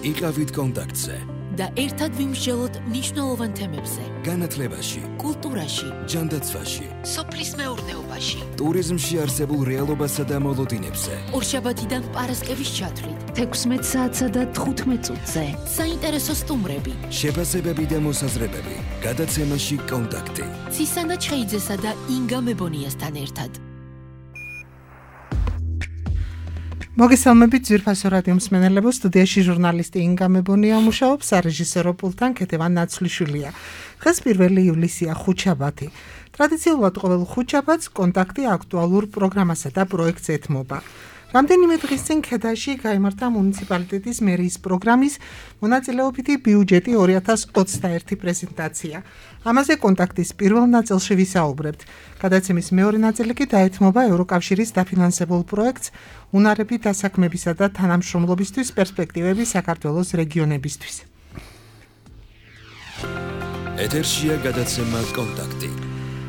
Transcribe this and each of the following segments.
იყავით კონტაქტზე და ერთად ვიმსჯელოთ მნიშვნელოვან თემებზე. განათლებაში, კულტურაში, ჯანდაცვაში, სოფლის მეურნეობაში, ტურიზმში არსებულ რეალობასა და მოლოდინებზე. ორშაბათიდან პარასკევის ჩათვლით, 16 საათსა და 15 წუთზე. საინტერესო სტუმრები, შეფასებები და მოსაზრებები. გადაცემაში კონტაქტი. ცისანა ჩხეიძესა და ინგა მებონიასთან ერთად. მოგესალმებით ძვირფასო რადიო მსმენელებო, სტუდიაში ჟურნალისტი ინგა მებონია მუშაობს, სარეჟისორო პულტთან ქეთევან ნაცვლიშვილია. დღეს 1 ივლისია, ხუთშაბათი. ტრადიციულად ყოველ ხუთშაბათს კონტაქტი აქტუალურ პროგრამასა და პროექტს ეთმობა. რამდენიმე დღის წინ ქედაში გაიმართა მუნიციპალიტეტის მერიის პროგრამის მონაწილეობითი ბიუჯეტი 2021 პრეზენტაცია. ამაზე კონტაქტის პირველ ნაწილში ვისაუბრებთ. გადაცემის მეორე ნაწილი კი დაეთმობა ევროკავშირის დაფინანსებულ პროექტს უნარები დასაქმებისა და თანამშრომლობისთვის პერსპექტივები საქართველოს რეგიონებისთვის. ეთერშია გადაცემა კონტაქტი.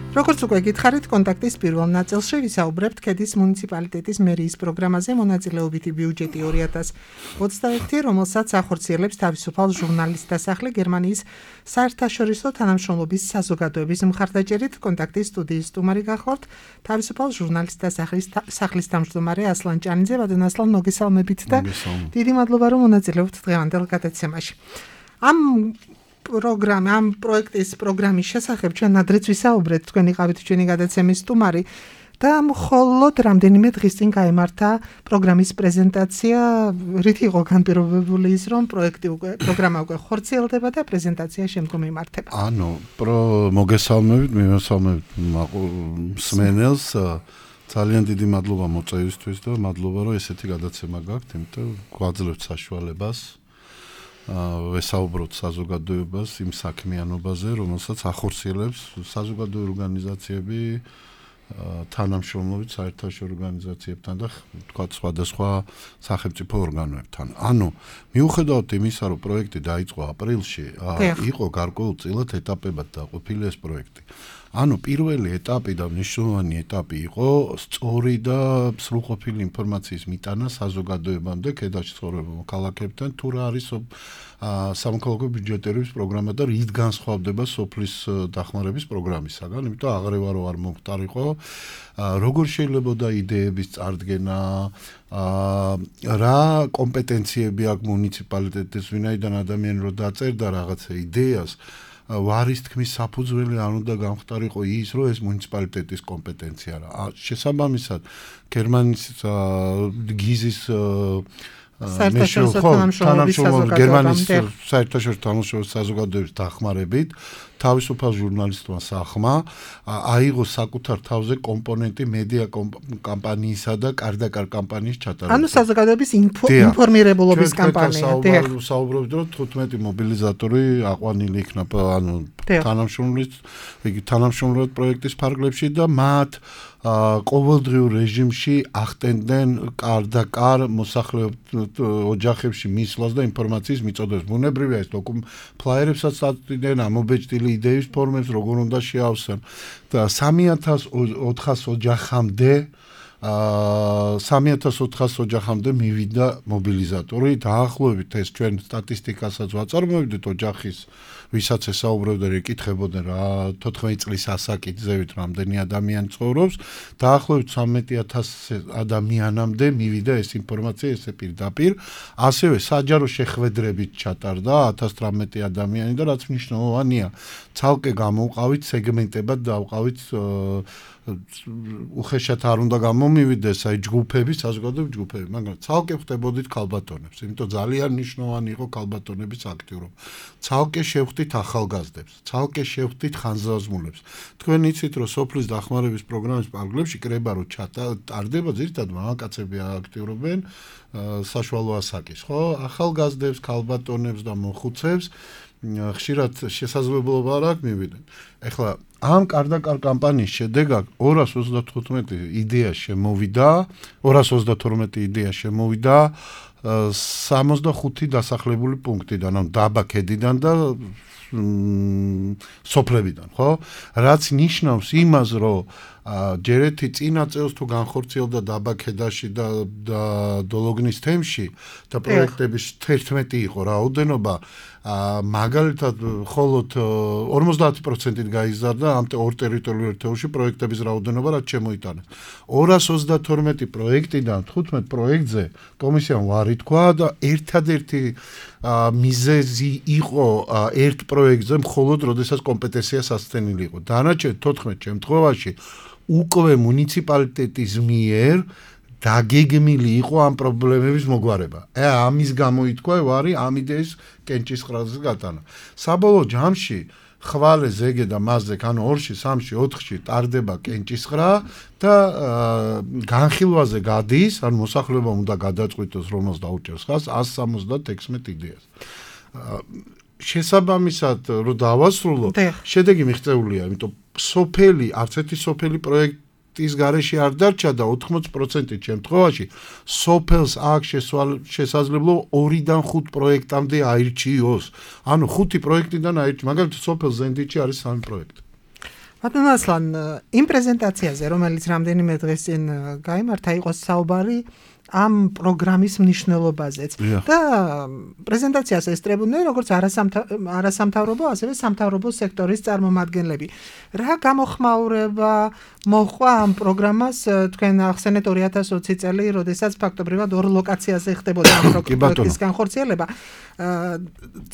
როგორც უკვე გითხარით, კონტაქტის პირველ ნაწილში ვისაუბრებთ ქედის მუნიციპალიტეტის მერიის პროგრამაზე მონაწილეობითი ბიუჯეტი 2021, რომელსაც ახორციელებს თავისუფალ ჟურნალისტთა სახლი გერმანიის საერთაშორისო თანამშრომლობის საზოგადოების მხარდაჭერით. კონტაქტის სტუდიის სტუმარი გახლავთ თავისუფალ ჟურნალისტთა სახლის თავმჯდომარე ასლან ჭანიძე. ვადან ასლან, მოგესალმებით და დიდი მადლობა რომ მონაწილეობთ დღევანდელ გადაცემაში. ამ პროექტის პროგრამის შესახებ ჩვენ ადრეც ვისაუბრეთ, თქვენ იყავით ჩვენი გადაცემის სტუმარი და მხოლოდ რამდენიმე დღის წინ გაიმართა პროგრამის პრეზენტაცია, რით იყო განპირობებული ის, რომ პროგრამა უკვე ხორციელდება და პრეზენტაცია შემდგომ იმართება. მოგესალმებით, მიმოსალმებით მსმენელს, ძალიან დიდი მადლობა მოწვევისთვის და მადლობა რომ ესეთი გადაცემა გაქვთ, იმიტომ გვაძლევთ საშუალებას ვესაუბროთ საზოგადოებას იმ საქმიანობაზე, რომელსაც ახორციელებს საზოგადოებრივი ორგანიზაციები თანამშრომლობით საერთაშორისო ორგანიზაციებთან და თქვათ სხვადასხვა სახელმწიფო ორგანოებთან. ანუ მიუხედავად იმისა, რომ პროექტი დაიწყო აპრილში, იყო გარკვეულწილად ეტაპებად დაყოფილი ეს პროექტი. ანუ პირველი ეტაპი და მნიშვნელოვანი ეტაპი იყო სწორი და სრულყოფილი ინფორმაციის მიტანა საზოგადოებამდე ქედაში ცხოვრებულ მოქალაქეებთან, თუ რა არის სამოქალაქო ბიუჯეტირების პროგრამა და რით განსხვავდება სოფლის დახმარების პროგრამისაგან, იმიტომ აღრევა რო არ მომხდარიყო, როგორ შეიძლებოდა იდეების წარდგენა, რა კომპეტენციები აქვს მუნიციპალიტეტის, ვინაიდან ადამიანი რო დაწერდა რაღაცა იდეას, ვარის თქმის საფუძველი არ უნდა გამხდარიყო ის, რომ ეს მუნიციპალიტეტის კომპეტენცია რა. შესაბამისად, გერმანიის გიზის გერმანიის საერთაშორისო თანამშრომლობის საზოგადოების დახმარებით თავისუფალ ჟურნალისტმა სახლმა აიღო საკუთარ თავზე კომპონენტი მედია კამპანიისა და კარდაკარ კამპანიის ჩატარება. ანუ საზოგადოების ინფორმირებულობის კამპანია. საუბრობთ, რომ 15 მობილიზატორი აყვანილი იქნება, ანუ თანამშრომლობთ პროექტის ფარგლებში და მათ ყოველდღიურ რეჟიმში ახდენდნენ კარდაკარ მოსახლეობ ოჯახებში მისვლას და ინფორმაციის მიწოდებას. ბუნებრივია ეს ფლაიერებსაც აწვდიდნენ, ამობეჭდილი იდეების ფორმებს როგორ უნდა შეავსონ და 3400 ოჯახამდე 3400 ოჯახამდე მივიდა მობილიზატორი. დაახლოებით ეს ჩვენ სტატისტიკასაც ვაწარმოებდით ოჯახის, ვისაც ესაუბრებდა და ეკითხებოდნენ რა 14 წლის ასაკით რამდენი ადამიანი ცხოვრობს, დაახლოებით 13000 ადამიანამდე მივიდა ეს ინფორმაცია, ესე პირდაპირ. ასევე საჯარო შეხვედრებით ჩატარდა 1018 ადამიანი და რაც მნიშვნელოვანია, ცალკე გამოვყავით სეგმენტებად დავყავით უხეშად არ უნდა გამომივიდეს აი ჯგუფები, საზოგადოებრივი ჯგუფები, მაგრამ ცალკე ხდებოდით ქალბატონებს, იმიტომ ძალიან მნიშვნელოვანი იყო ქალბატონების აქტიურობა. ცალკე შევხვდით ახალგაზრდებს, ცალკე შევხვდით ხანძრაზმულებს. თქვენ იცით, რომ სოფლის დახმარების პროგრამის პარგლებში კრება რო ჩატარდება, ძირითადად მამაკაცები აქტიურობენ საშუალო ასაკის, ხო? ახალგაზრდებს, ქალბატონებს და მოხუცებს ხშირად შესაძლებლობა არ აქვს მივიდნენ. ეხლა ამ კარდაკარ კამპანიის შედეგად 235 იდეა შემოვიდა, 232 იდეა შემოვიდა 65 დასახლებული პუნქტიდან, ანუ დაბა ქედიდან და სოფლებიდან, ხო? რაც ნიშნავს იმას, რომ ჯერეთი წინა წელს თუ განხორციელდა დაბაქედაში და დოლოგნის თემში და პროექტების 11 იყო რაოდენობა მაგალითად მხოლოდ 50%-ით გაიზარდა ამ ორ ტერიტორიულ ერთეულში პროექტების რაოდენობა რაც შემოიტანა 232 პროექტიდან 15 პროექტზე კომისიამ ვარი თქვა და ერთადერთი მიზეზი იყო ერთ პროექტზე მხოლოდ როდესაც კომპეტენცია სასცენილი იყო დანარჩენ 14 შემთხვევაში უკვე მუნიციპალიტეტის მიერ დაგეგმილი იყო ამ პრობლემების მოგვარება. ამის გამო ითქვა ვარი ამ იდეის კენჭისყრაზე გატანა. საბოლოო ჯამში ხვალე ზეგე და მასზე ანუ 2-ში, 3-ში, 4-ში ტარდება კენჭისყრა და განხილვაზე გადის, ანუ მოსახლეობა უნდა გადაწყვიტოს რომელს დაუჭერს ხას 176 იდეას. შესაბამისად რომ დავასრულო, შედეგი მიღწეულია, იმიტომ სოფელი, არც ერთი სოფელი პროექტის გარეშე არ დარჩა და 80% შემთხვევაში სოფელს აქვს შესაძლებლობა 2-დან 5 პროექტამდე აირჩიოს. ანუ 5 პროექტიდან აირჩიოს. მაგალითად სოფელ ზენდიჩი არის 3 პროექტი. ბატონო ასლან, იმ პრეზენტაციაზე, რომელიც რამდენიმე დღეს წინ გაიმართა, იყო საუბარი ამ პროგრამის მნიშვნელობაზეც და პრეზენტაციას ესწრებოდნენ როგორც არასამთავრობო, ასევე სამთავრობო სექტორის წარმომადგენლები. რა გამოხმაურება მოჰყვა ამ პროგრამას თქვენ ახსენეთ 2020 წელი, როდესაც ფაქტობრივად ორ ლოკაციაზე ხდებოდა ამ პროექტის განხორციელება.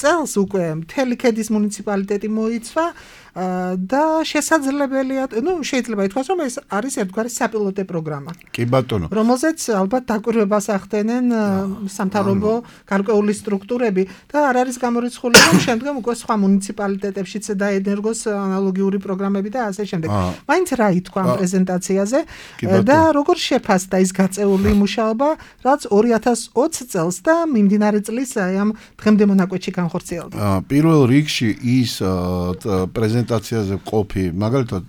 წელს უკვე მთელი ქედის მუნიციპალიტეტი მოიცვა და შესაძლებელია, შეიძლება ითქვას, რომ ეს არის ერთგვარი საპილოტე პროგრამა. კი ბატონო. რომელზეც ალბათ დაკვირვებას ახდენენ სამთავრობო გარკვეული სტრუქტურები და არ არის გამორიცხული, რომ შემდგომ უკვე სხვა მუნიციპალიტეტებშიც დაენერგოს ანალოგიური პროგრამები და ასე შემდეგ. მაინც რა ითქვა ამ პრეზენტაციაზე და როგორ შეფასდა ის გაწეული მუშაობა, რაც 2020 წელს და მიმდინარე წლის ამ დღემდე მონაკვეთში განხორციელდა. პირველ რიგში ის პრეზენტაციაზე ყოფი, მაგალითად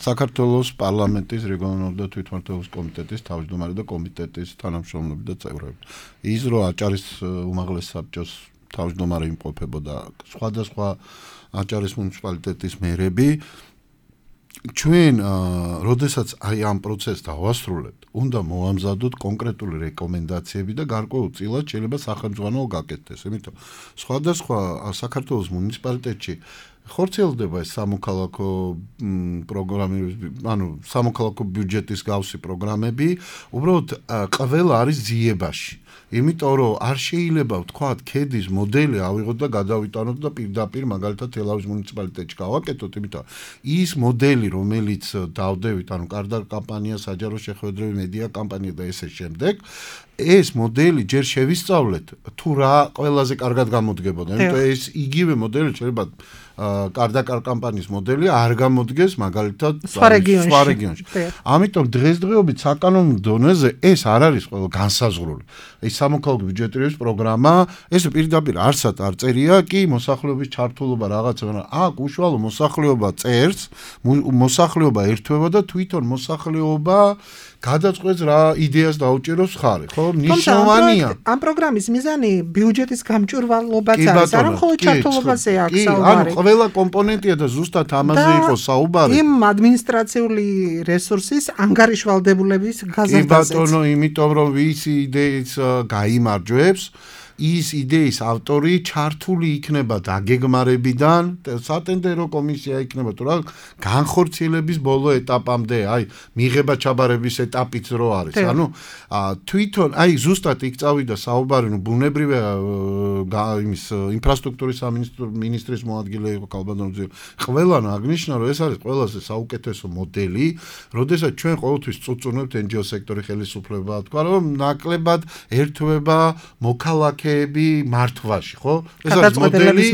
საქართველოს პარლამენტის რეგიონალური და თვითმმართველობის კომიტეტის თავმჯდომარე და კომიტეტის თანამშრომლები და წევრები. ის რო აჭარის უმაღლეს საბჭოს თავმჯდომარე იმყოფებოდა სხვადასხვა აჭარის მუნიციპალიტეტის მერები ჩვენ როდესაც აი ამ პროცესს დავასრულებთ, უნდა მოვამზადოთ კონკრეტული რეკომენდაციები და გარკვეულწილად შეიძლება სახელმწიფო გაკეთდეს. იმიტომ სხვადასხვა საქართველოს მუნიციპალიტეტში ხორციელდება ეს სამოქალაქო პროგრამები, ანუ სამოქალაქო ბიუჯეტის გავსი პროგრამები, უბრალოდ ყველა არის ძიებაში. იმიტომ რომ არ შეიძლება ვთქვათ ქედის მოდელი ავიღოთ და გადავიტანოთ და პირდაპირ მაგალითად თელავის მუნიციპალიტეტში გავაკეთოთ, იმიტომ ის მოდელი რომელიც დავდევით, ანუ კარდა კამპანია, საჯარო შეხვედრები, მედია კამპანია და ესე შემდეგ, ეს მოდელი ჯერ შევისწავლეთ თუ რა ყველაზე კარგად გამოდგებოდა. იმიტომ ეს იგივე მოდელი შეიძლება კარდა კამპანიის მოდელი არ გამოდგეს მაგალითად სხვა რეგიონში. ამიტომ დღესდღეობით საკანონმდებლო დონეზე ეს არ არის ყველა განსაზღვრული. ეს სამოქალაქო ბიუჯეტირების პროგრამა, ეს პირდაპირ არსად არ წერია, კი მოსახლეობის ჩართულობა რაღაცა, აქ უშუალო მოსახლეობა წერს, მოსახლეობა ერთვება და თვითონ მოსახლეობა გადაწყვეტს რა იდეას დაუჭეროს ხარი, ხო? ნიშნავანია. ამ პროგრამის მიზანი ბიუჯეტის გამჭვირვალობაც არის, არა მხოლოდ ჩართულობაზე აქვს საუბარი. ანუ ყველა კომპონენტია და ზუსტად ამაზე იყო საუბარი. იმ ადმინისტრაციული რესურსის ანგარიშვალდებულების გაზრდაზეც. კი ბატონო, იმიტომ რომ ის იდეის გაიმარჯვებს ის იდეის ავტორი ჩართული იქნება დაგეგმარებიდან, სატენდერო კომისია იქნება თუ რა განხორციელების ბოლო ეტაპამდე, აი მიღება ჩაბარების ეტაპიც რო არის. ანუ თვითონ აი ზუსტად იქ წავიდა საუბარი, ბუნებრივია იმის ინფრასტრუქტურის სამინისტრის მოადგილე იყო კალბანოძე. ყველანო აღნიშნა რომ ეს არის ყველაზე საუკეთესო მოდელი, როდესაც ჩვენ ყოველთვის წუწუნებთ NGO სექტორი ხელისუფლება, თქვა რომ ნაკლებად ერთვება მოქალაქე მართვაში, ხო? ეს არის მოდელი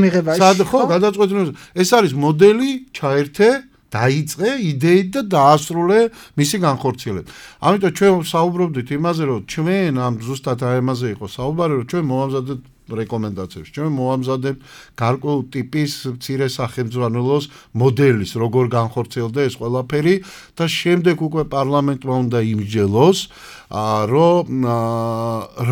ხო, გადაწყვეტილების. ეს არის მოდელი, ჩაერთე, დაიწყე იდეით და დაასრულე მისი განხორციელება. ამიტომ ჩვენ საუბრობდით იმაზე, რომ ჩვენ ამ ზუსტად ამაზე იყო საუბარი, რომ ჩვენ მოვამზადეთ რეკომენდაციებს. ჩვენ მოვამზადებთ გარკვეულ ტიპის მცირე სახელმძღვანელოს მოდელის, როგორ განხორციელდა ეს ყველაფერი და შემდეგ უკვე პარლამენტმა უნდა იმსჯელოს, რომ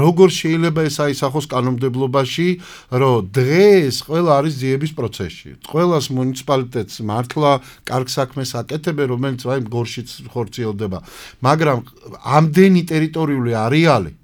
როგორ შეიძლება ეს აისახოს კანონმდებლობაში, რომ დღეს ყველა არის ძიების პროცესში. ყველას მუნიციპალიტეტს მართლა კარგ საქმეს აკეთებენ, რომელიც აი გორშიც ხორციელდება. მაგრამ ამდენი ტერიტორიული არეალი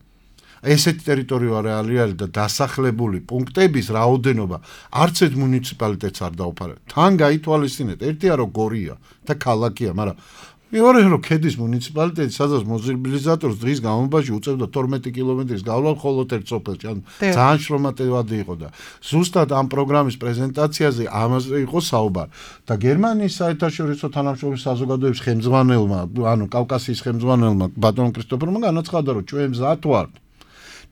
ესეთი ტერიტორიული არეალი და დასახლებული პუნქტების რაოდენობა არც ერთ მუნიციპალიტეტს არ დაუფარებს. თან გაითვალისწინეთ, ერთია რომ გორია და ქალაქია, მაგრამ მეორე რომ ქედის მუნიციპალიტეტი სადაც მოზილიზატორს დღის განმავლობაში უწევდა 12 კილომეტრის გავლა მხოლოდ ერთ სოფელში, ან ძალიან შრომატევადი იყო და ზუსტად ამ პროგრამის პრეზენტაციაზე ამაზე იყო საუბარი. და გერმანიის საერთაშორისო თანამშრომლობის საზოგადოების ხელმძღვანელმა, ანუ კავკასიის ხელმძღვანელმა ბატონ კრისტოფერმა განაცხადა, რომ ჩვენ მზად ვართ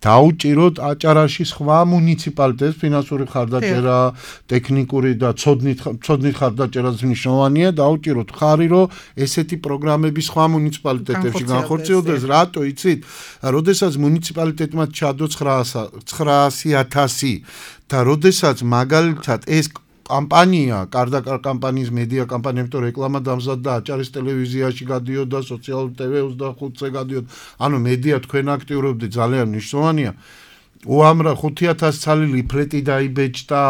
დაუჭიროთ აჭარაში სხვა მუნიციპალიტეტს ფინანსური ხარდაჭერა, ტექნიკური და ცოდნით ხარდაჭერაც მნიშვნელოვანია, დაუჭიროთ ხარი, რომ ესეთი პროგრამები სხვა მუნიციპალიტეტებში განხორციელდეს. რატო იცით? როდესაც მუნიციპალიტეტმა ჩადო 900.000 და როდესაც მაგალითად ეს კამპანია, კარდაკარ კამპანიის მედია კამპანია, იმიტომ რეკლამა დამზადდა აჭარის ტელევიზიაში გადიოდა, სოციალურ TV25-ზე გადიოდა. ანუ მედია თქვენ აქტიურობდით, ძალიან მნიშვნელოვანია. უამრავ 5,000 ცალი ლიფლეტი დაიბეჭდა,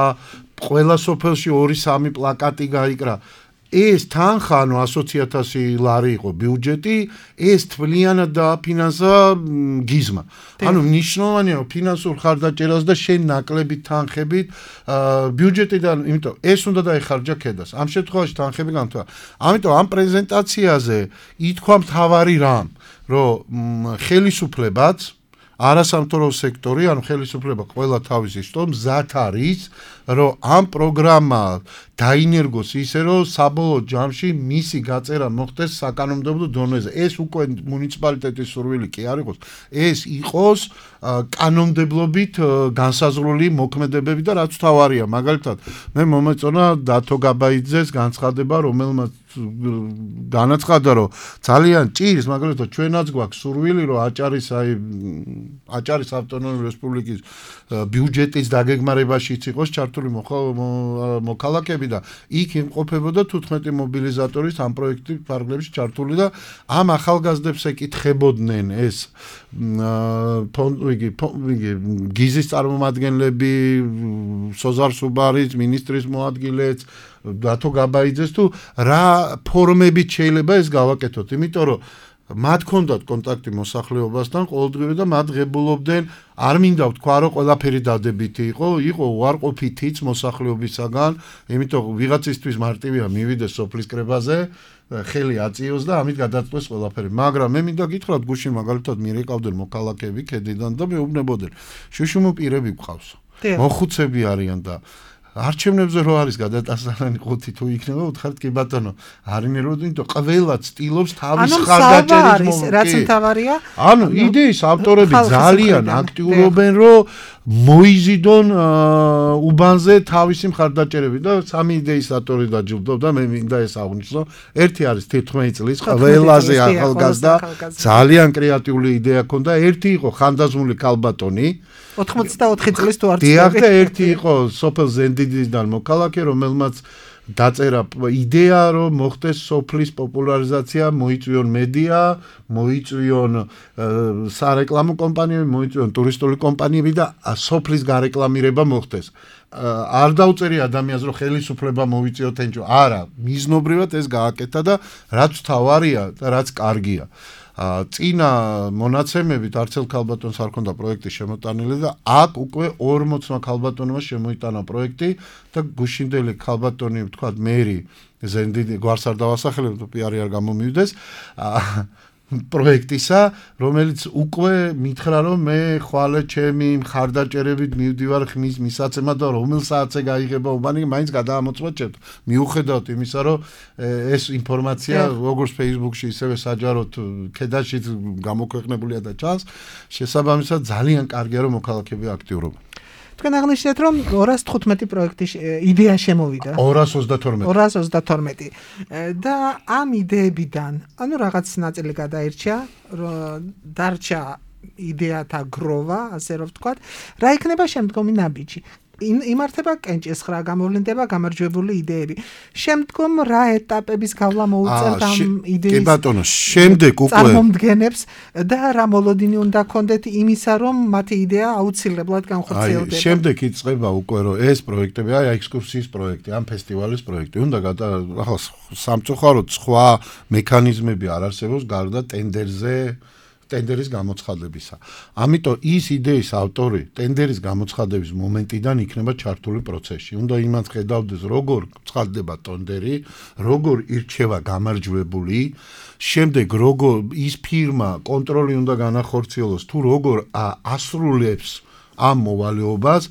ყველა სოფელში 2-3 პლაკატი გაიკრა. ეს თანხა, ანუ 100,000 ლარი იყო ბიუჯეტი, ეს თვლიანად დააფინანსა გიზმა. ანუ მნიშვნელოვანია ფინანსურ ხარდაჭერას და შენ ნაკლები თანხებით ბიუჯეტიდან, იმიტომ ეს უნდა დაეხარჯა ქედას. ამ შემთხვევაში თანხები განთვა. ამიტომ ამ პრეზენტაციაზე ითქვა მთავარი რამ, რომ ხელისუფლებაც არასამთავრობო სექტორი, ანუ ხელისუფლება ყველა თავისი შტომ მზად არის, რომ ამ პროგრამა დაინერგოს ისე, რომ საბოლოო ჯამში მისი გაწერა მოხდეს საკანონმდებლო დონეზე. ეს უკვე მუნიციპალიტეტის სურვილი კი არ იყოს, ეს იყოს კანონმდებლობით განსაზღვრული მოქმედებები და რაც თავარია. მაგალითად, მე მომეწონა დათო გაბაიძეს განცხადება, რომელმაც განაცხადა, რომ ძალიან ჭირს, მაგალითად, ჩვენაც გვაქვს სურვილი, რომ აჭარის ავტონომიური რესპუბლიკის ბიუჯეტის დაგეგმარებაშიც იყოს ჩართული მოქალაქეები და იქ იმყოფებოდა 15 მობილიზატორის ამ პროექტის ფარგლებში ჩართული და ამ ახალგაზრდებს ეკითხებოდნენ ეს გიზის წარმომადგენლები, სოზარ სუბარის მინისტრის მოადგილეც, დათო გაბაიძეს თუ რა ფორმებით შეიძლება ეს გავაკეთოთ, იმიტომ რომ მათ ჰქონდათ კონტაქტი მოსახლეობასთან ყოველდღიური და მათ ღებულობდნენ, არ მინდა ვთქვა, რომ ყველაფერი დადებითი იყო უარყოფითიც მოსახლეობისაგან, იმიტომ ვიღაცისთვის მარტივია მივიდეს სოფლის კრებაზე, ხელი აწიოს და ამით გადაწყვეს ყველაფერი. მაგრამ მე მინდა გითხრათ, გუშინ მაგალითად მიერეკავდნენ მოქალაქეები ქედიდან და მეუბნებოდნენ, შუშუმო პირები გვყავს, მოხუცები არიან და არჩევნებზე რო არის გადატანილი 5 თუ იქნება, უთხართ კი ბატონო, არინერო, იმიტომ ყველა ცდილობს თავის ხარდაჭერის მომენტი. რაც მთავარია, ანუ იდეის ავტორები ძალიან აქტიურობენ, რომ მოიზიდონ უბანზე თავისი მხარდაჭერები და სამი იდეის ავტორი დაჯილდოვდა, მე მინდა ეს აღვნიშნო. ერთი არის 14 წლის ყველაზე ახალგაზრდა, ძალიან კრეატიული იდეა ჰქონდა, ერთი იყო ხანდაზმული ქალბატონი 84 წლის თუ არ დიახ და ერთი იყო სოფელ ზენდიდიდან მოქალაქე, რომელმაც დაწერა იდეა, რომ მოხდეს სოფლის პოპულარიზაცია, მოიწვიონ მედია, მოიწვიონ სარეკლამო კომპანიები, მოიწვიონ ტურისტული კომპანიები და სოფლის გარეკლამირება მოხდეს. არ დაუწერი ადამიანს, რომ ხელისუფლება მოვიწიოთ ენჯო. არა, მიზნობრივად ეს გააკეთა და რაც თავარია და რაც კარგია. წინა მონაცემებით არცელ ქალბატონს არ ქონდა პროექტი შემოტანილი და აქ უკვე 40 ქალბატონმა შემოიტანა პროექტი და გუშინდელი ქალბატონი, ვთქვათ, მერი ზენდიდი გვარს არ დავასახელებ, თუ პიარი არ გამომივიდეს პროექტისა, რომელიც უკვე მითხრა, რომ მე ხვალე ჩემი მხარდაჭერებით მივდივარ ხმის მისაცემად და რომელ საათზე გაიღება უბანი, მაინც გადაამოწმოთ. მიუხედავად იმისა, რომ ეს ინფორმაცია როგორც Facebook-ში, ისევე საჯაროდ ქედაშიც გამოქვეყნებულია და ჩანს, შესაბამისად ძალიან კარგია, რომ მოქალაქეები აქტიურობენ. თქვენ აღნიშნეთ, რომ 215 პროექტის იდეა შემოვიდა. 222 და ამ იდეებიდან, ანუ რაღაც ნაწილი გადაირჩა, დარჩა იდეათა გროვა, ასე რომ ვთქვათ, რა იქნება შემდგომი ნაბიჯი? იმართება კენჭის ხრა, გამოვლინდება გამარჯვებული იდეები. შემდგომ რა ეტაპების გავლა მოუწევთ ამ იდეის? კი ბატონო, შემდეგ უკვე წარმომდგენებს და რა მოლოდინი უნდა ქონდეთ იმისა, რომ მათი იდეა აუცილებლად განხორციელდება. შემდეგ იწყება უკვე რომ ეს პროექტები, აი ექსკურსიის პროექტი, ამ ფესტივალის პროექტი, უნდა ახლა სამწუხაროდ სხვა მექანიზმები არ არსებობს გარდა ტენდერის გამოცხადებისა. ამიტომ ის იდეის ავტორი ტენდერის გამოცხადების მომენტიდან იქნება ჩართული პროცესში. უნდა იმას ხედავდეს, როგორ ცხადდება ტენდერი, როგორ ირჩევა გამარჯვებული, შემდეგ როგორ ის ფირმა კონტროლი უნდა განახორციელოს, თუ როგორ ასრულებს ამ მოვალეობას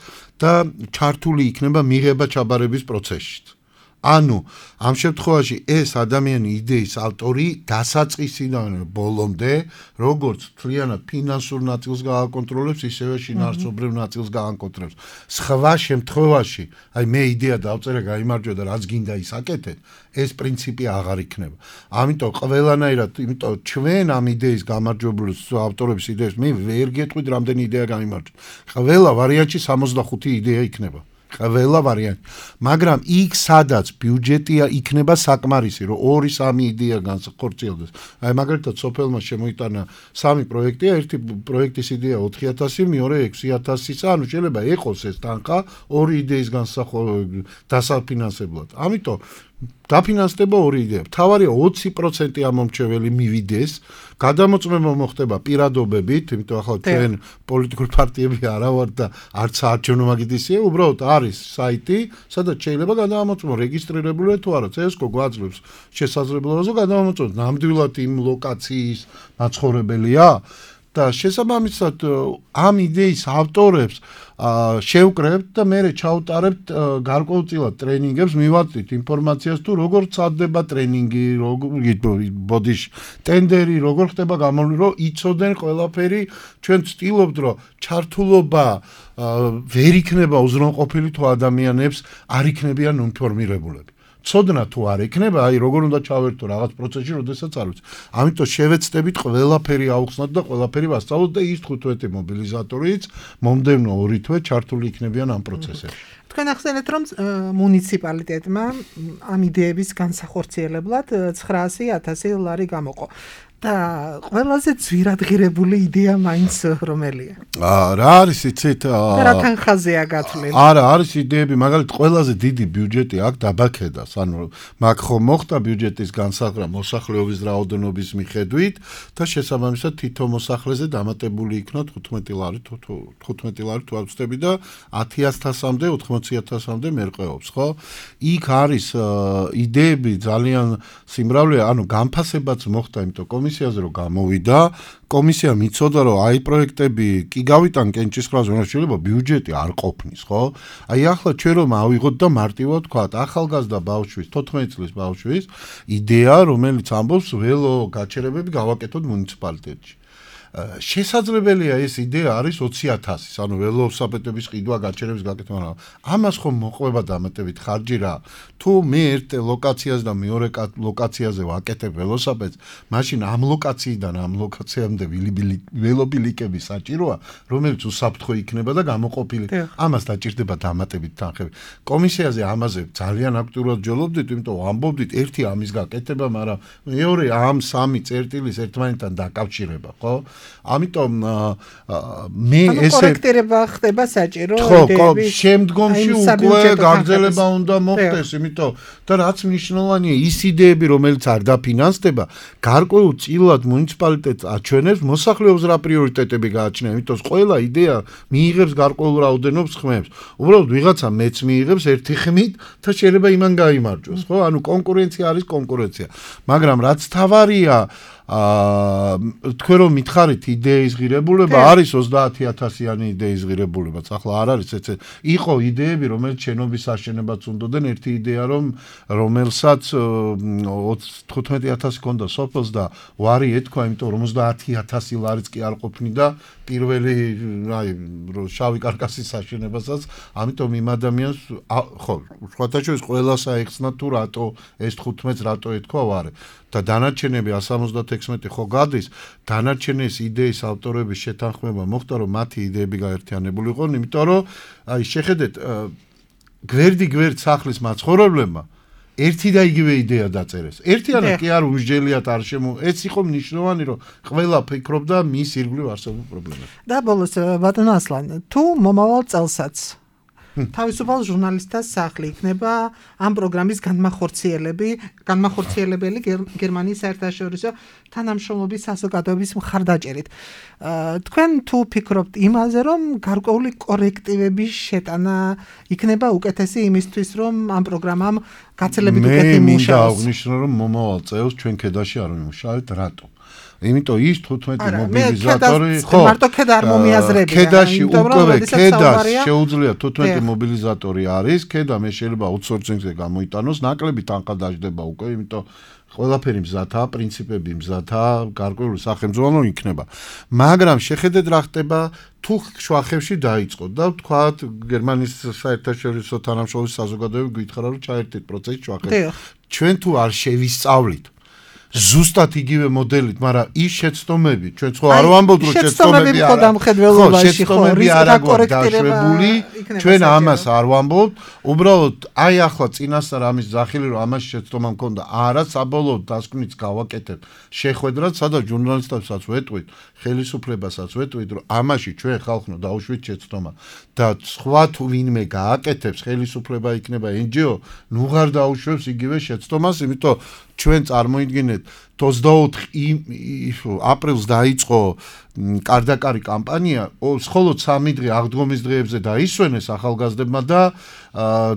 და ჩართული იქნება მიღება-ჩაბარების პროცესში. ანუ ამ შემთხვევაში ეს ადამიანი იდეის ავტორი დასაწყისიდან ბოლომდე როგორც თლიანად ფინანსურ ნაწილს გააკონტროლებს, ისევე შინაარსობრივ ნაწილს გააკონტროლებს. სხვა შემთხვევაში, აი მე იდეა დავწერე, გაიმარჯვა და რაც გინდა ის აკეთეთ, ეს პრინციპი აღარ იქნება. ამიტომ ყველანაირად, იმიტომ ჩვენ ამ იდეის გამარჯვებული ავტორების იდეებს მე ვერ გეტყვით რამდენი იდეა გამიმარჯვა. ყველა ვარიანტში 65 იდეა იქნება. ყველა ვარიანტი. მაგრამ იქ სადაც ბიუჯეტია იქნება საკმარისი, რომ 2-3 იდეა განხორციელდეს. აი მაგალითად სოფელმა შემოიტანა 3 პროექტია, ერთი პროექტის იდეა 4000, მეორე 6000-ისა, ანუ შეიძლება ეყოს ეს თანხა 2 იდეის დასაფინანსებლად. ამიტომ დაფინანსდება 2 იდეა. თავარია 20% ამომრჩეველი მივიდეს, გადამოწმება მოხდება პირადობებით, იმიტომ ახლა ჩვენ პოლიტიკური პარტიები არა ვართ და არც საარჩევნო მაგიდისია, უბრალოდ არის საიტი, სადაც შეიძლება გადამოწმო რეგისტრირებულია თუ არა, CSGO გვაძლევს შესაძლებლობას გადამოწმოთ. ნამდვილად იმ ლოკაციის მაცხოვრებელია და შესაბამისად ამ იდეის ავტორებს შევკრებთ და მე ჩავტარებთ გარკვეულწილად ტრენინგებს, მივაწვით ინფორმაციას თუ როგორ წადდება ტრენინგი, ბოდიში, ტენდერი, როგორ ხდება გამოვლენა, რომ იცოდნენ ყველაფერი. ჩვენ ვცდილობთ, რომ ჩართულობა ვერ იქნება უზრუნყოფილი თუ ადამიანებს არ იქნებიან ინფორმირებულები. ცოდნა თუ არ იქნება, აი როგორ უნდა ჩავერთო რაღაც პროცესში, როდესაც არ ვიცი. ამიტომ შევეცდებით ყველაფერი აუხსნათ და ყველაფერი ვასწავლოთ და ის 15 მობილიზატორიც მომდევნო 2 თვე ჩართული იქნებიან ამ პროცესებში. თქვენ ახსენეთ, რომ მუნიციპალიტეტმა ამ იდეების განსახორციელებლად 900.000 ლარი გამოყო. და ყველაზე ძვირადღირებული იდეა მაინც რომელია? რა არის იცით? რა თანხაზეა გათვლილი? არა, არის იდეები, მაგალითად, ყველაზე დიდი ბიუჯეტი აქ დაბაქედას, ანუ მაგ ხომ მოხდა ბიუჯეტის განსაზღვრა მოსახლეობის რაოდენობის მიხედვით და შესაბამისად თითო მოსახლეზე დამატებული იქნა 15 ლარი თუ არ ვცდები და 10.000-მდე 80.000-მდე მერყეობს, ხო? იქ არის იდეები ძალიან სიმრავლეა, ანუ განფასებაც მოხდა, იმიტომ კომისიაზე რომ გამოვიდა, კომისია მიცოდა რომ აი პროექტები კი გავიტან კენჭისყრაზე, რომ შეიძლება ბიუჯეტი არ ყოფნის, ხო? აი ახლა ჩვენ რომ ავიღოთ და მარტივად ვთქვათ, ახალგაზრდა ბავშვის, 14 წლის ბავშვის იდეა, რომელიც ამბობს ველო გაჩერებები გავაკეთოთ მუნიციპალიტეტში. შესაძლებელია ეს იდეა არის 20.000, ანუ ველოსიპედების ყიდვა გაჩერების გაკეთება, მაგრამ ამას ხომ მოყვება დამატებით ხარჯი რა. თუ მე ერთ ლოკაციაზე და მეორე ლოკაციაზე ვაკეთებ ველოსიპედს, მაშინ ამ ლოკაციიდან ამ ლოკაციამდე ველობილიკები საჭიროა, რომელიც უსაფრთხო იქნება და გამოყოფილი. ამას დაჭირდება დამატებით თანხები. კომისიაზე ამაზე ძალიან აქტიურად ჯოლობდით, იმიტომ ამბობდით ერთი ამის გაკეთება, მაგრამ მეორე ამ 3 წერტილის ერთმანეთთან დაკავშირება, ხო? ამიტომ მე ესე კორექტირება ხდება საჭირო იდეების შემდგომში უკვე გაგრძელება უნდა მოხდეს, იმიტომ და რაც მნიშვნელოვანია ის იდეები, რომელიც არ დაფინანსდება, გარკვეულწილად მუნიციპალიტეტს აჩვენებს მოსახლეობის რა პრიორიტეტები გააჩნია, იმიტომ ყველა იდეა მიიღებს გარკვეულ რაოდენობს ხმებს. უბრალოდ ვიღაცა მეც მიიღებს ერთი ხმით და შეიძლება იმან გაიმარჯვოს, ხო? ანუ კონკურენცია არის კონკურენცია. მაგრამ რაც თავარია თქვენ რომ მითხარით იდეის ღირებულება, არის 30.000-იანი იდეის ღირებულებაც. ახლა არ არის ესე. იყო იდეები, რომელიც შენობის აშენებაც უნდადნენ, ერთი იდეა რომელსაც 15.000 ქონდა სოფელს და ვარი ეთქვა, იმიტომ 50.000 ლარიც კი არ ყოფნიდა პირველი აი შავი კარკასის აშენებასაც, ამიტომ იმ ადამიანს ხო, სხვათა შორის ყველას აეხსნა თუ რატო ეს 15-ს რატო ეთქვა ვარი. და დანარჩენები 176 ხო გადის, დანარჩენეს იდეის ავტორების შეთანხმება მოხდა, რომ მათი იდეები გაერთიანებული იყო, იმიტომ რომ აი შეხედეთ გვერდ სახლის მაცხოვრებლებმა ერთი და იგივე იდეა დაწერეს. ერთიანად კი არ უსჯელიათ არ ეს იყო მნიშვნელოვანი, რომ ყველა ფიქრობდა მის ირგვლივ არსებულ პრობლემებს. და ბოლოს ბატონო ასლან, თუ მომავალ წელსაც თავისუფალ ჟურნალისტთა სახლი იქნება ამ პროგრამის განმახორციელებელი გერმანიის საერთაშორისო თანამშრომლობის საზოგადოების მხარდაჭერით. თქვენ თუ ფიქრობთ იმაზე, რომ გარკვეული კორექტივების შეტანა იქნება უკეთესი იმისთვის, რომ ამ პროგრამამ გაცილებით უკეთი მე მინდა მუშაოს. აღნიშნო, რომ მომავალ წელს ჩვენ ქედაში არ ვიმუშავებთ, რატო? იმიტომ ის 15 მობილიზატორი მარტო ქედა არ მომიაზრებია. ქედაში უკვე ქედას შეუძლია 15 მობილიზატორი არის, ქედა მე შეიძლება აუთსორსინგზე გამოიტანოს, ნაკლები თანხა დაждდება უკვე, იმიტომ ყველაფერი მზადაა, პრინციპები მზადაა, გარკვეული სახელმძღვანელო იქნება. მაგრამ შეხედეთ რა ხდება, თუ შვახებში დაიწყო და ვთქვათ გერმანიის საერთაშორისო თანამშრომლობის საზოგადოება გითხრა რომ ჩაერთეთ პროცესი შვახებში. ჩვენ თუ არ შევისწავლით ზუსტად იგივე მოდელით, მაგრამ ის შეცდომები, ჩვენ ხო არ ვამბობთ რომ შეცდომები არ აქვს დაშვებული, ჩვენ ამას არ ვამბობთ, უბრალოდ აი ახლა წინასწარ ამის ძახილი რომ ამას შეცდომა მქონდა, არა საბოლოოდ დასკვნით გავაკეთებ შეხვედრად, სადაც ჟურნალისტებსაც ვეტყვით, ხელისუფლებასაც ვეტყვით, რომ ამაში ჩვენ ხალხო დაუშვით შეცდომა და სხვა თუ ვინმე გააკეთებს, ხელისუფლება იქნება NGO, ნუ ღარ დაუშვებს იგივე შეცდომას, იმიტომ ჩვენ წარმოიდგინეთ 24 აპრილს დაიწყო კარდაკარი კამპანია, მხოლოდ 3 დღე აღდგომის დღეებზე დაისვენეს ახალგაზრდებმა და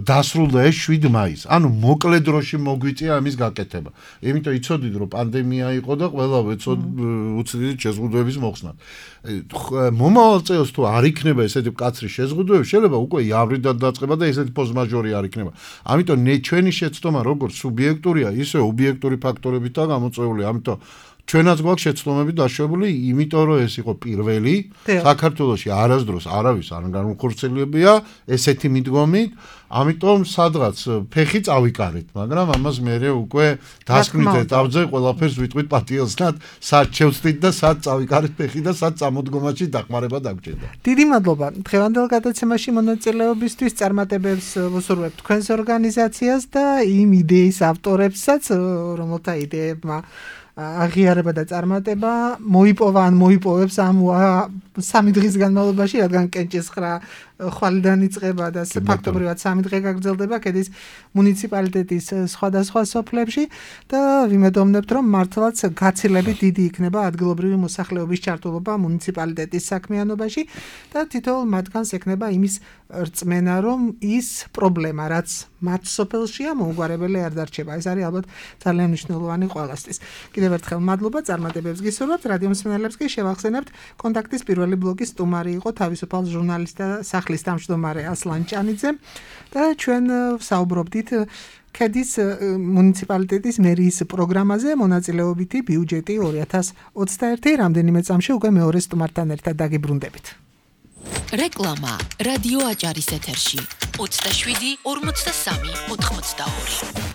დასრულდა ეს 7 მაისს. ანუ მოკლე დროში მოგვიწია ამის გაკეთება. იმიტომ იცოდით რომ პანდემია იყო და ყველა უცდიდით შეზღუდვების მოხსნად. მომავალ წელს თუ არ იქნება ესეთი მკაცრი შეზღუდვები, შეიძლება უკვე იავრიდან დაწყება და ესეთი ფორს-მაჟორი არ იქნება. ამიტომ ჩვენი შეცდომა როგორც სუბიექტურია, ისე ობიექტური ფაქტორებითაა გამოწვეული. ამიტომ ჩვენაც გვაქვს შეცდომები დაშვებული, იმიტომ რომ ეს იყო პირველი საქართველოში არასდროს არავის არ განხორციელებია ესეთი მიდგომით, ამიტომ სადღაც ფეხი წავიკარეთ, მაგრამ ამას მერე უკვე დასკვნით ეტაპზე ყველაფერს ვიტყვით პატიოსნად, სად შევწდით და სად წავიკარეთ ფეხი და სად წამოდგომაში დახმარება დაგჭირდა. დიდი მადლობა დღევანდელ გადაცემაში მონაწილეობისთვის, წარმატებებს ვუსურვებთ თქვენს ორგანიზაციას და იმ იდეის ავტორებსაც, რომელთა იდეებმა აღიარება და წარმატება მოიპოვა ან მოიპოვებს ამ 3 დღის განმავლობაში, რადგან კენჭის ხრა ხვალიდან იწყება და ფაქტობრივად 3 დღე გაგრძელდება ქედის მუნიციპალიტეტის სხვადასხვა სოფლებში და ვიმედოვნებთ, რომ მართლაც გაცილებით დიდი იქნება ადგილობრივი მოსახლეობის ჩართულობა მუნიციპალიტეტის საქმიანობაში და თითოეულ მათგანს ექნება იმის რწმენა, რომ ის პრობლემა, რაც მათ სოფელშია, მოუგვარებელი არ დარჩება. ეს არის ალბათ ძალიან მნიშვნელოვანი ყველასთვის. კიდევ ერთხელ მადლობა, წარმატებებს გისურვებთ. რადიო მსმენელებს კი შევახსენებთ, კონტაქტის პირველი ბლოგის სტუმარი იყო თავისუფალ ჟურნალისტთა სახლის თავმჯდომარე ასლან ჭანიძე და ჩვენ ვსაუბრობდით ქედის მუნიციპალიტეტის მერიის პროგრამაზე მონაწილეობითი ბიუჯეტი 2021. რამდენიმე წამში უკვე მეორე სტუმართან ერთად დაგიბრუნდებით. რეკლამა რადიო აჭარის ეთერში 27 43 82.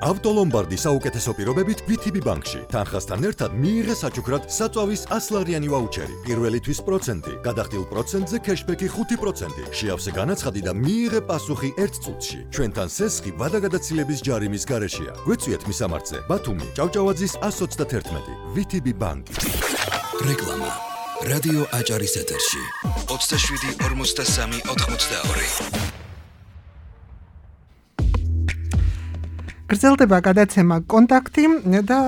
ავტოლომბარდი საუკეთესო პირობებით VTB ბანკში. თანხასთან ერთად მიიღე საჩუქრად საწვავის 100-ლარიანი ვაუჩერი. პირველისთვის 1%, გადახდილ პროცენტზე кэშბექი 5%. შეავსე განაცხადი და მიიღე პასუხი 1 წუთში. ჩვენთან სესხი ვადაგადაცილების ჯარიმის გარეშეა. გვეწვიეთ მისამართზე. ბათუმი, ჭავჭავაძის 131. VTB ბანკი. რეკლამა რადიო აჭარის ეთერში 27 43 82. გრძელდება გადაცემა კონტაქტი და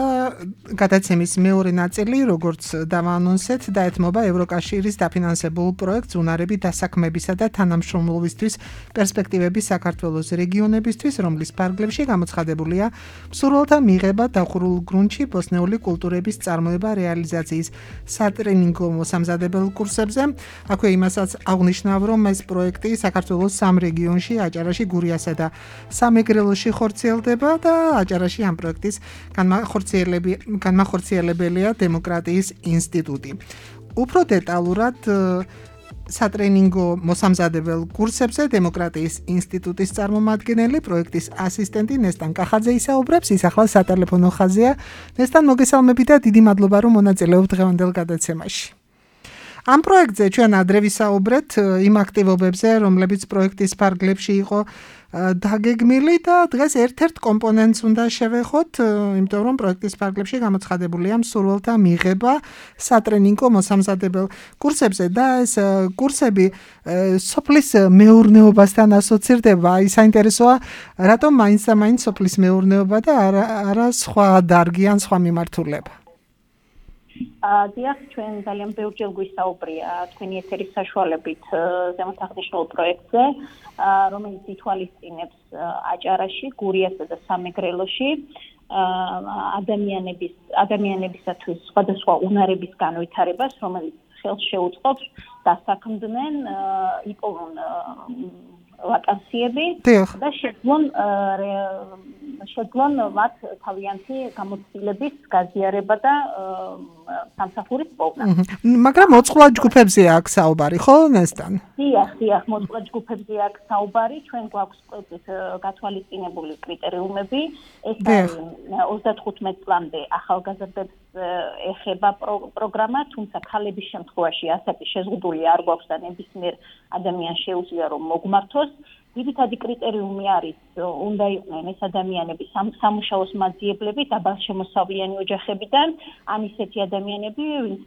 გადაცემის მეორე ნაწილი, როგორც დავაანონსეთ, დაეთმობა ევროკავშირის დაფინანსებულ პროექტს უნარების დასაქმებისა და თანამშრომლობისთვის პერსპექტივები საქართველოს რეგიონებისთვის, რომლის ფარგლებში გამოცხადებულია მსურველთა მიღება დახურულ გრუნტში ბოსნეული კულტურების წარმოება რეალიზაციის სატრენინგო მოსამზადებელ კურსებზე. აქვე იმასაც აღნიშნავ, რომ ეს პროექტი საქართველოს 3 რეგიონში, აჭარაში, გურიასა და სამეგრელოში ხორციელდება და აჭარაში ამ პროექტის განმახორციელებელია დემოკრატიის ინსტიტუტი. უფრო დეტალურად სატრენინგო მოსამზადებელ კურსებზე დემოკრატიის ინსტიტუტის წარმომადგენელი, პროექტის ასისტენტი ნესტან კახაძე ისაუბრებს, ის ახლა სატელეფონო ხაზია. ნესტან, მოგესალმებით და დიდი მადლობა, რომ მონაწილეობთ დღევანდელ გადაცემაში. ამ პროექტზე ჩვენ ადრე ვისაუბრეთ იმ აქტივობებზე, რომლებიც პროექტის ფარგლებში იყო დაგეგმილი და დღეს ერთ-ერთ კომპონენტს უნდა შევეხოთ, იმიტომ რომ პროექტის ფარგლებში გამოცხადებულია მსურველთა მიღება სატრენინგო მოსამზადებელ კურსებზე და ეს კურსები სოფლის მეურნეობასთან ასოცირდება. აი საინტერესოა, რატომ მაინც და მაინც სოფლის მეურნეობა და არა სხვა დარგი ან სხვა მიმართულება. დიახ, ჩვენ ძალიან ბევრჯერ გვისაუბრია თქვენი ეთერის საშუალებით ზემოთ აღნიშნულ პროექტზე, რომელიც ითვალისწინებს აჭარაში, გურიასა და სამეგრელოში ადამიანებისათვის სხვადასხვა უნარების განვითარებას, რომელიც ხელს შეუწყობს დასაქმდნენ, იპოვონ ვაკანსიები და შეძლონ მათ თავიანთი გამოცდილების გაზიარება და სამსახურის პოვნა. მაგრამ მოწყვლად ჯგუფებზეა აქ საუბარი, ხო, ნესტან? დიახ, მოწყვლად ჯგუფებზეა აქ საუბარი. ჩვენ გვაქვს პროექტის გათვალისწინებული კრიტერიუმები. ეს არის 35 წლამდე ახალგაზრდებს ეხება პროგრამა, თუმცა ქალების შემთხვევაში ასეთი შეზღუდული არ გვაქვს და ნებისმიერ ადამიანს შეუძლია რომ მოგმართოს. ძირითადი კრიტერიუმი არის, უნდა იყვნენ ეს ადამიანები სამუშაოს მაძიებლები დაბალშემოსავლიანი ოჯახებიდან, ან ისეთი ადამიანები, ვინც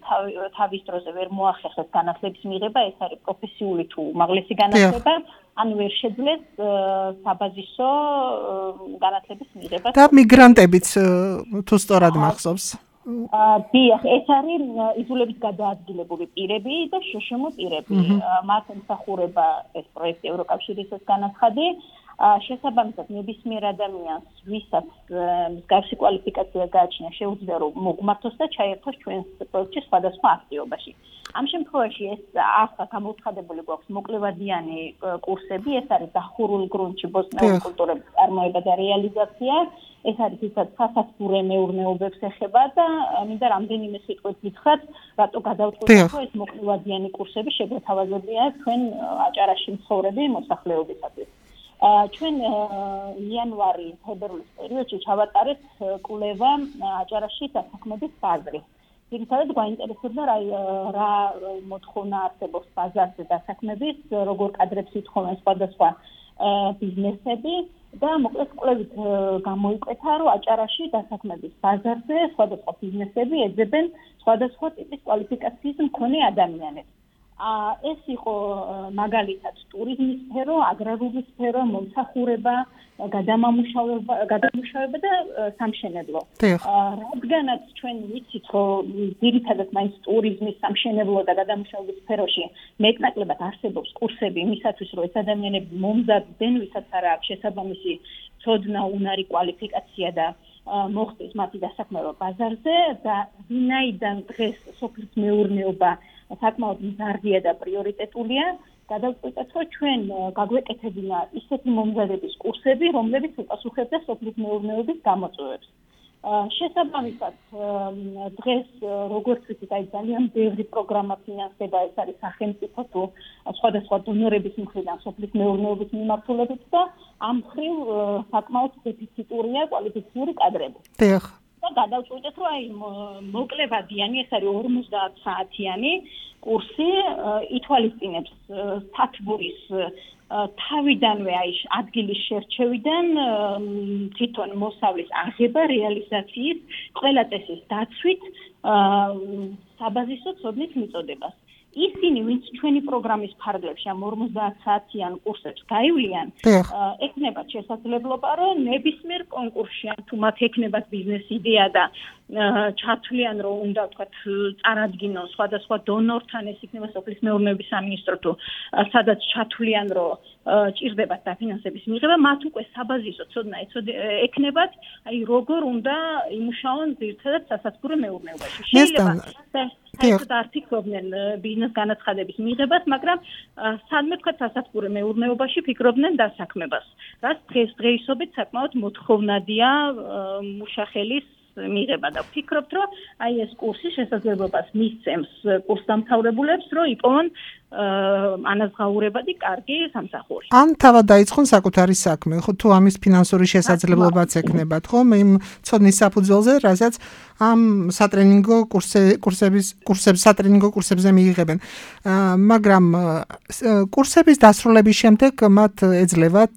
თავის დროზე ვერ მოახერხეს განათლების მიღება, ეს არის პროფესიული თუ უმაღლესი განათლება, ან ვერ შეძლეს საბაზისო განათლების მიღება. და მიგრანტებიც თუ სწორად მახსოვს. დიახ, ეს არის იზოლებით გადაადგილებული პირები და შშმ პირები. მათ ემსახურება ეს პროექტი ევროკავშირისას განაცხადი. შესაბამისად, ნებისმიერ ადამიანს, ვისაც მსგავსი კვალიფიკაცია გააჩნია, შეუძლია რომ მოგმართოს და ჩაერთოს ჩვენს პროექტში სხვადასხვა აქტივობაში. ამ შემთხვევაში ეს ახლა გამოცხადებული გვაქვს მოკლევადიანი კურსები, ეს არის დახურულ გრუნტში ბოსტნეულის კულტურების წარმოება და რეალიზაცია. ეს არის ისაც სასათბურე მეურნეობებს ეხება და მინდა რამდენიმე სიტყვით გითხრათ, რატო გადავწყვიტეთ, რომ ეს მოკლევადიანი კურსები შეგვეთავაზებია ჩვენ აჭარაში მცხოვრები მოსახლეობისათვის. ჩვენ იანვარი-თებერვლის პერიოდში ჩავატარეთ კვლევა აჭარაში დასაქმების ბაზრის. ძირითადად გვაინტერესებდა რა მოთხოვნა არსებობს ბაზარზე დასაქმების, როგორ კადრებს ითხოვენ სხვადასხვა ბიზნესები და მოკლედ კვლევით გამოიკვეთა, რომ აჭარაში დასაქმების ბაზარზე სხვადასხვა ბიზნესები ეძებენ სხვადასხვა ტიპის კვალიფიკაციის მქონე ადამიანებს. ეს იყო მაგალითად ტურიზმის სფერო, აგრარული სფერო, მომსახურება, გადამამუშავება და სამშენებლო. რადგანაც ჩვენ ვიცით, რომ ძირითადად მაინც ტურიზმის, სამშენებლო და გადამამუშავების სფეროში მეტნაკლებად არსებობს კურსები იმისათვის, რომ ეს ადამიანები მომზადდნენ, ვისაც არ აქვს შესაბამისი ცოდნა, უნარი, კვალიფიკაცია და მოხდეს მათი დასაქმება ბაზარზე და ვინაიდან დღეს სოფლის მეურნეობა საკმაოდ მზარდია და პრიორიტეტულია, გადავწყვიტეთ, რომ ჩვენ გაგვეკეთებინა ისეთი მომზადების კურსები, რომლებიც უპასუხებდა სოფლის მეურნეობის გამოწვევებს. შესაბამისად, დღეს როგორც ვიცით, აი ძალიან ბევრი პროგრამა ფინანსდება, ეს არის სახელმწიფო თუ სხვადასხვა დონორების მხრიდან სოფლის მეურნეობის მიმართულებით და ამ მხრივ საკმაოდ დეფიციტურია კვალიფიციური კადრები. და გადავწყვიტეთ, რომ აი მოკლევადიანი, ეს არის 50 საათიანი კურსი, ითვალისწინებს სათბურის თავიდანვე აი ადგილის შერჩევიდან თვითონ მოსავლის აღება, რეალიზაციის, ყველა წესის დაცვით საბაზისო ცოდნის მიწოდებას. ისინი, ვინც ჩვენი პროგრამის ფარგლებში ამ 50 საათიან კურსებს გაივლიან, ექნებათ შესაძლებლობა, რომ ნებისმიერ კონკურსში, თუ მათ ექნებათ ბიზნეს იდეა და ჩათვლიან, რომ უნდა ვთქვათ, წარადგინონ სხვადასხვა დონორთან, ეს იქნება სოფლის მეურნეობის სამინისტრო თუ სადაც ჩათვლიან, რომ ჭირდებათ დაფინანსების მიღება, მათ უკვე საბაზისო ცოდნა ექნებათ, აი როგორ უნდა იმუშაონ ძირითადად სასათბურე მეურნეობაში. შეიძლება საერთოდ არ ფიქრობდნენ ბიზნეს განაცხადების მიღებას, მაგრამ სადმე ვთქვათ სასათბურე მეურნეობაში ფიქრობდნენ დასაქმებას. რაც დღესდღეობით საკმაოდ მოთხოვნადია მუშახელის მიღება და ვფიქრობთ, რომ აი ეს კურსი შესაძლებლობას მისცემს კურსდამთავრებულებს, რომ იპოვონ ანაზღაურებადი კარგი სამსახური. ან თავად დაიწყონ საკუთარი საქმე, ხო თუ ამის ფინანსური შესაძლებლობაც ექნებათ, ხო? იმ ცოდნის საფუძველზე, რასაც ამ სატრენინგო კურსებზე მიიღებენ. მაგრამ კურსების დასრულების შემდეგ მათ ეძლევათ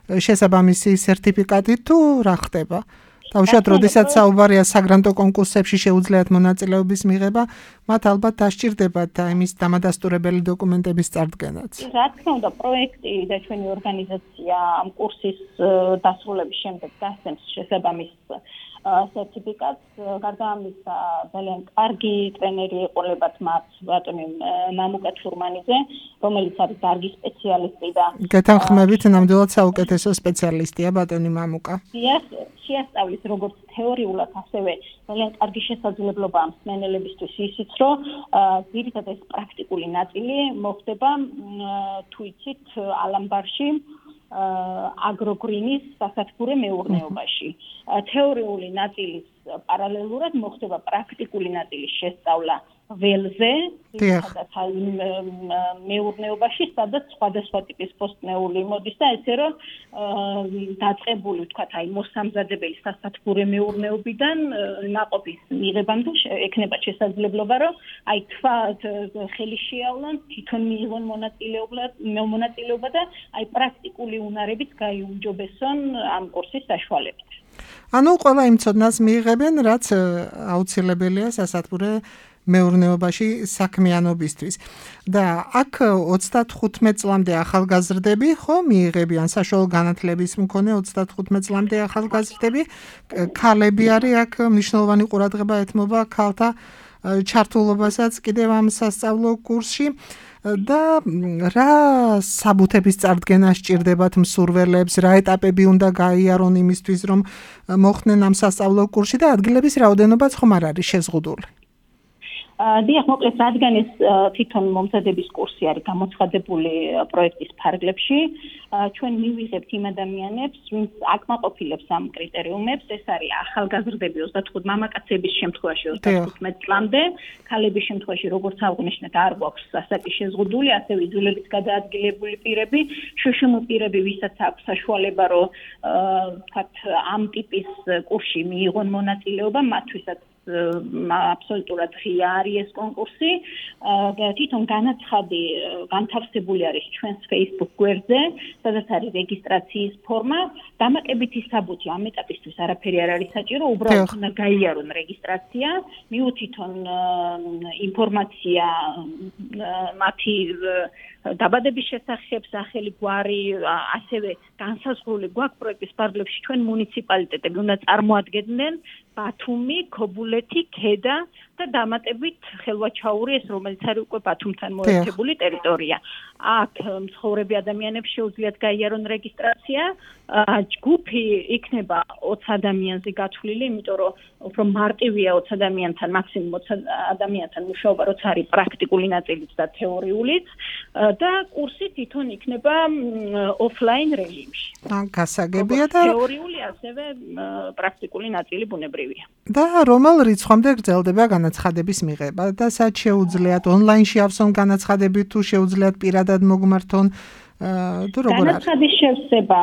შესაბამისი სერტიფიკატი თუ რა ხდება? თავშად, როდესაც საუბარია საგრანტო კონკურსებში შეუძლიათ მონაწილეობის მიღება, მათ ალბათ დასჭირდებათ იმის დამადასტურებელი დოკუმენტების წარდგენაც. რა თქმა უნდა, პროექტი და ჩვენი ორგანიზაცია ამ კურსის დასრულების შემდეგ გასცემს შესაბამის სერტიფიკატს. გარდა ამისა, ძალიან კარგი ტრენერი ეყოლებათ მათ ბატონი მამუკა თურმანიძე, რომელიც არის დარგის სპეციალისტი და გეთანხმებით, ნამდვილად საუკეთესო სპეციალისტია ბატონი მამუკა. შეასწავლის როგორც თეორიულად, ასევე ძალიან კარგი შესაძლებლობა ამ მსმენელებისთვის ისიც, რომ ძირითადად ეს პრაქტიკული ნაწილი მოხდება თუ იცით ალამბარში აგროგრინის სასათბურე მეურნეობაში. თეორიული ნაწილის პარალელურად მოხდება პრაქტიკული ნაწილის შესწავლა ველზე, სადაც მეურნეობაში, სადაც სხვადასხვა ტიპის პოსტნეული მოდის და ესე რომ დაწყებული ვთქვათ, აი მოსამზადებელი სასათბურე მეურნეობიდან ნაყოფის მიღებამდე ექნება შესაძლებლობა, რომ აი ხელი შეავლან, თვითონ მიიღონ მონაწილეობა და აი პრაქტიკული უნარებით გაიუმჯობესონ ამ კურსის საშუალებით. ანუ ყველა იმ ცოდნას მიიღებენ, რაც აუცილებელია სასათბურე მეურნეობაში საქმიანობისთვის. და აქ 35 წლამდე ახალგაზრდები ხო მიიღებიან საშუალო განათლების მქონე 35 წლამდე ახალგაზრდები, ქალები არის აქ მნიშვნელოვანი ყურადღება ეთმობა ქალთა ჩართულობასაც კიდევ ამ სასწავლო კურსში. და რა საბუთების წარდგენა სჭირდებათ მსურველებს, რა ეტაპები უნდა გაიარონ იმისთვის, რომ მოხდნენ ამ სასწავლო კურსში და ადგილების რაოდენობაც ხომ არ არის შეზღუდული? დიახ, მოკლედ, რადგან ეს თვითონ მომზადების კურსი არის გამოცხადებული პროექტის ფარგლებში, ჩვენ მივიღებთ იმ ადამიანებს, ვინც აკმაყოფილებს ამ კრიტერიუმებს, ეს არის ახალგაზრდები 25 მამაკაცების შემთხვევაში 35 წლამდე, ქალების შემთხვევაში როგორც აღნიშნეთ, არ გვაქვს ასაკი შეზღუდული, ასევე იძულებით გადაადგილებული პირები, შშმ პირები, ვისაც აქვს საშუალება, რომ ვთქვათ, ამ ტიპის კურსში მიიღონ მონაწილეობა, მათთვისაც აბსოლუტურად ღია არის ეს კონკურსი. თვითონ განაცხადი განთავსებული არის ჩვენს Facebook გვერდზე, სადაც არის რეგისტრაციის ფორმა. დამატებითი საბუთი ამ ეტაპისთვის არაფერი არ არის საჭირო, უბრალოდ უნდა გაიარონ რეგისტრაცია, მიუთითონ ინფორმაცია მათი დაბადების შესახებ, სახელი, გვარი, ასევე განსაზღვრული გვაქვს პროექტის ფარგლებში ჩვენ მუნიციპალიტეტები უნდა წარმოადგენდნენ ბათუმი, ქობულეთი, ქედა და დამატებით ხელვაჩაური, ეს რომელიც არის უკვე ბათუმთან მოერთებული ტერიტორია. აქ მცხოვრები ადამიანებს შეუძლიათ გაიარონ რეგისტრაცია. ჯგუფი იქნება 20 ადამიანზე გათვლილი, იმიტომ რომ უფრო მარტივია 20 ადამიანთან, მაქსიმუმ 20 ადამიანთან მუშაობა, როცა არის პრაქტიკული ნაწილიც და თეორიულიც და კურსი თვითონ იქნება ოფლაინ რეჟიმში. გასაგებია და თეორიული ასევე პრაქტიკული ნაწილი ბუნებრივია. და რომელ რიცხვამდე გრძელდება განაცხადების მიღება და სად შეუძლიათ ონლაინში ავსონ განაცხადები თუ შეუძლიათ პირადად მოგმართონ თუ როგორ არის? განაცხადის შევსება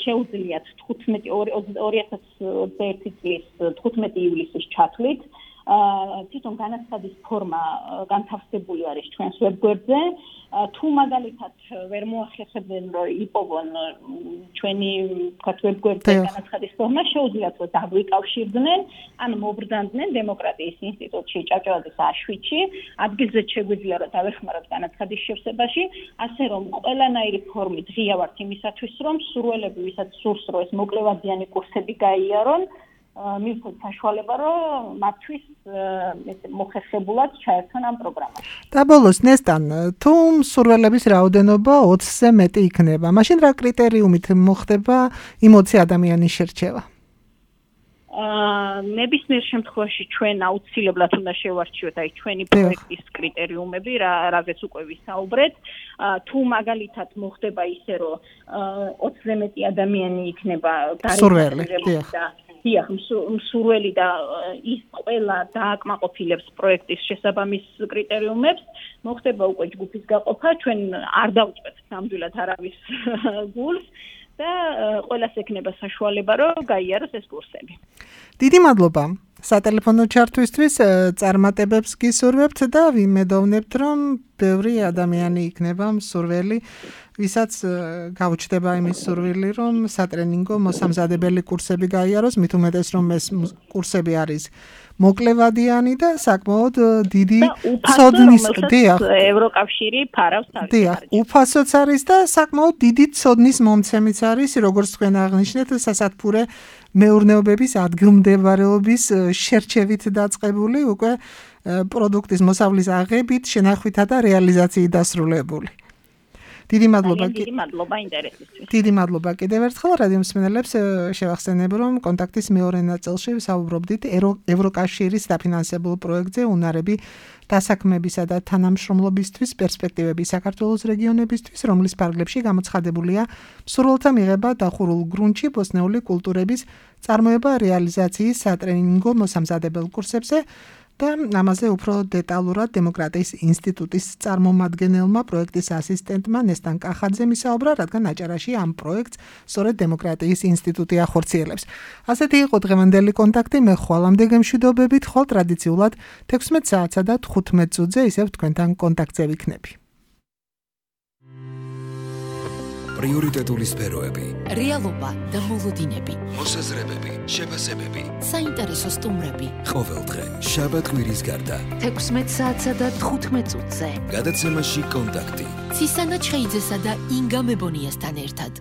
შეუძლიათ 2021 წლის 15 ივლისის ჩათვლით. თვითონ განაცხადის ფორმა განთავსებული არის ჩვენს ვებგვერდზე. თუ მაგალითად ვერ მოახერხებენ, რომ იპოვონ ჩვენი ვთქვათ ვებგვერდზე განაცხადის ფორმა, შეუძლიათ რომ დაგვიკავშირდნენ, ან მობრძანდნენ დემოკრატიის ინსტიტუტში, ჭავჭავაძის A7-ში, ადგილზეც შეგვიძლია რომ დავეხმაროთ განაცხადის შევსებაში, ასე რომ ყველანაირი ფორმით ღია ვართ იმისათვის, რომ სურველები, ვისაც სურს, რომ ეს მოკლევადიანი კურსები გაიარონ, მივცეთ საშუალება, რომ მათთვის მოხერხებულად ჩაერთონ ამ პროგრამაში. და ბოლოს ნესტან, თუ მსურველების რაოდენობა 20-ზე მეტი იქნება, მაშინ რა კრიტერიუმით მოხდება იმ 20 ადამიანის შერჩევა? ნებისმიერ შემთხვევაში ჩვენ აუცილებლად უნდა შევარჩიოთ აი ჩვენი პროექტის კრიტერიუმები, რაზეც უკვე ვისაუბრეთ. თუ მაგალითად მოხდება ისე, რომ 20-ზე მეტი ადამიანი იქნება სურველი, დიახ, მსურველი და ის ყველა დააკმაყოფილებს პროექტის შესაბამის კრიტერიუმებს, მოხდება უკვე ჯგუფის გაყოფა, ჩვენ არ დავწვეთ ნამდვილად არავის გულს და ყველას ექნება საშუალება, რომ გაიაროს ეს კურსები. დიდი მადლობა. სატელეფონო ჩართვისთვის წარმატებებს გისურვებთ და ვიმედოვნებთ, რომ ბევრი ადამიანი იქნება მსურველი, ვისაც გაუჩნდება იმის სურვილი, რომ სატრენინგო მოსამზადებელი კურსები გაიაროს, მით უმეტეს რომ ეს კურსები არის მოკლევადიანი და საკმაოდ დიდი ცოდნის ევროკავშირი ფარავს თავის. დიახ, უფასოც არის და საკმაოდ დიდი ცოდნის მომცემიც არის, როგორც თქვენ აღნიშნეთ, სასათბურე მეურნეობების ადგილმდებარეობის შერჩევით დაწყებული უკვე პროდუქტის მოსავლის აღებით, შენახვითა და რეალიზაციით დასრულებული. დიდი მადლობა ინტერესისთვის. დიდი მადლობა კიდევ ერთხელ რადიო მსმენელებს შევახსენებ, რომ კონტაქტის მეორე ნაწილში ვსაუბრობდით ევროკავშირის დაფინანსებულ პროექტზე უნარები დასაქმებისა და თანამშრომლობისთვის პერსპექტივები საქართველოს რეგიონებისთვის, რომლის ფარგლებში გამოცხადებულია მსურველთა მიღება დახურულ გრუნტში ბოსნეული კულტურების წარმოება რეალიზაციის სატრენინგო მოსამზადებელ კურსებზე და ამაზე უფრო დეტალურად დემოკრატიის ინსტიტუტის წარმომადგენელმა პროექტის ასისტენტმა ნესტან კახაძემ ისაუბრა, რადგან აჭარაში ამ პროექტს სწორედ დემოკრატიის ინსტიტუტი ახორციელებს. ასეთი იყო დღევანდელი კონტაქტი, მე ხვალამდე გემშვიდობებით, ხოლ ტრადიციულად 16 საათსა და 15 წუთზე ისევ თქვენთან კონტაქტზე ვიქნები. პრიორიტეტული სფეროები, რეალობა და მოლოდინები, მოსაზრებები, შეფასებები, საინტერესო სტუმრები. ყოველდღე, შაბათ-კვირის გარდა, 16 საათსა და 15 წუთზე. გადაცემაში კონტაქტი. ცისანა ჩხეიძესა და ინგა მებონიასთან ერთად.